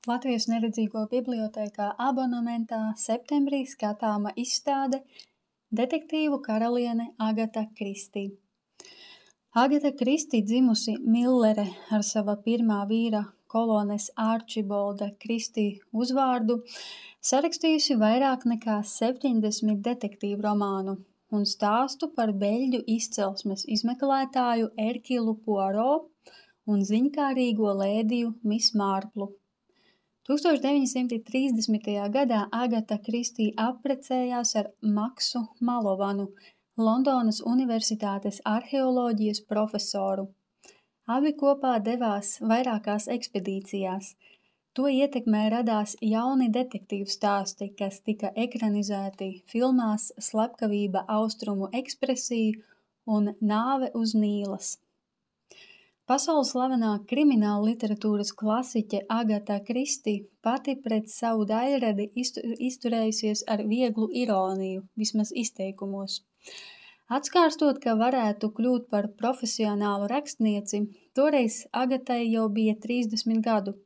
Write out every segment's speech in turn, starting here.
Latvijas neredzīgo bibliotēkā abonementā septembrī skatāma izstāde Detektīvu karaliene Agata Kristī. Agata Kristī dzimusi Millere ar sava pirmā vīra kolones Arčibolda Kristī uzvārdu, sarakstījusi vairāk nekā 70 detektīvu romānu un stāstu par beļģu izcelsmes izmeklētāju Erkilu Poirot un ziņkārīgo lēdiju Miss Marplu. 1930. gadā Agata Kristī apprecējās ar Maksu Malovanu, Londonas Universitātes arheoloģijas profesoru. Abi kopā devās vairākās ekspedīcijās. To ietekmē radās jauni detektīvu stāsti, kas tika ekranizēti filmās Slepkavība Austrumu ekspresija un Nāve uz Nīlas. Pasaules slavenā krimināla literatūras klasiķe Agata Kristī pati pret savu daļradi izturējusies ar vieglu ironiju, vismaz izteikumos. Atskārstot, ka varētu kļūt par profesionālu rakstnieci, toreiz Agatai jau bija 30 gadu.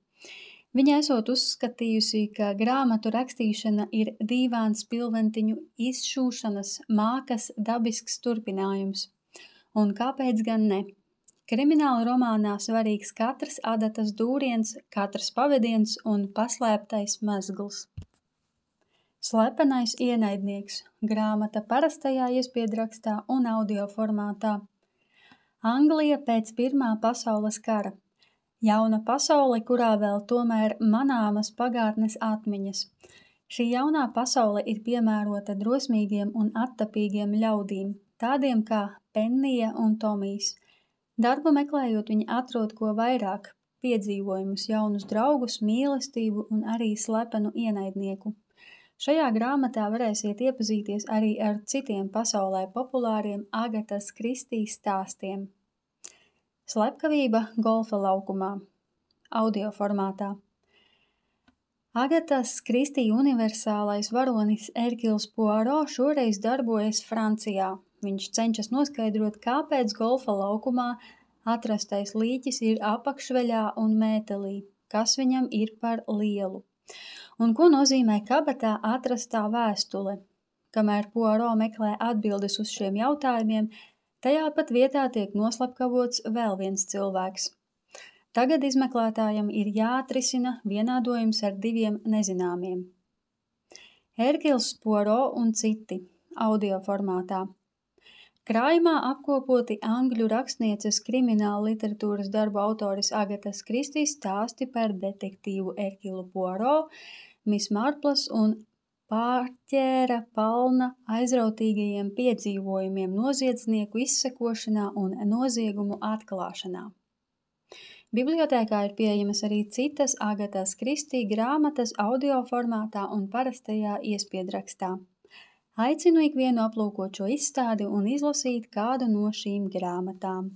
Viņa esot uzskatījusi, ka grāmatu rakstīšana ir dīvāns pilventiņu izšūšanas mākas dabisks turpinājums. Un kāpēc gan ne? Krimināla romānā svarīgs katrs adatas dūriens, katrs pavediens un paslēptais mezgls. Slepenais ienaidnieks. Grāmata parastajā iespiedrakstā un audio formātā. Anglija pēc Pirmā pasaules kara. Jauna pasaule, kurā vēl tomēr manāmas pagātnes atmiņas. Šī jaunā pasaule ir piemērota drosmīgiem un attapīgiem ļaudīm, tādiem kā Pennija un Tomijs. Darbu meklējot, viņi atrod ko vairāk – piedzīvojumus, jaunus draugus, mīlestību un arī slepenu ienaidnieku. Šajā grāmatā varēsiet iepazīties arī ar citiem pasaulē populāriem Agatas Kristī stāstiem. Slepkavība golfa laukumā. Audio formātā. Agatas Kristī universālais varonis Erkils Poirot šoreiz darbojas Francijā. Viņš cenšas noskaidrot, kāpēc golfa laukumā atrastais līķis ir apakšveļā un mētelī, kas viņam ir par lielu. Un ko nozīmē kabatā atrastā vēstule? Kamēr Poirot meklē atbildes uz šiem jautājumiem, tajā pat vietā tiek noslepkavots vēl viens cilvēks. Tagad izmeklētājam ir jāatrisina vienādojums ar diviem nezināmiem. Erkils Poirot un citi. Audio formātā. Krājumā apkopoti angļu rakstnieces krimināla literatūras darbu autoris Agatas Kristī stāsti par detektīvu Erkilu Poirot, Miss Marplas un Pārķēra Palna aizrautīgajiem piedzīvojumiem noziedznieku izsekošanā un noziegumu atklāšanā. Bibliotēkā ir pieejamas arī citas Agatas Kristī grāmatas audio formātā un parastajā iespiedrakstā. Aicinu ikvienu aplūkot šo izstādi un izlasīt kādu no šīm grāmatām.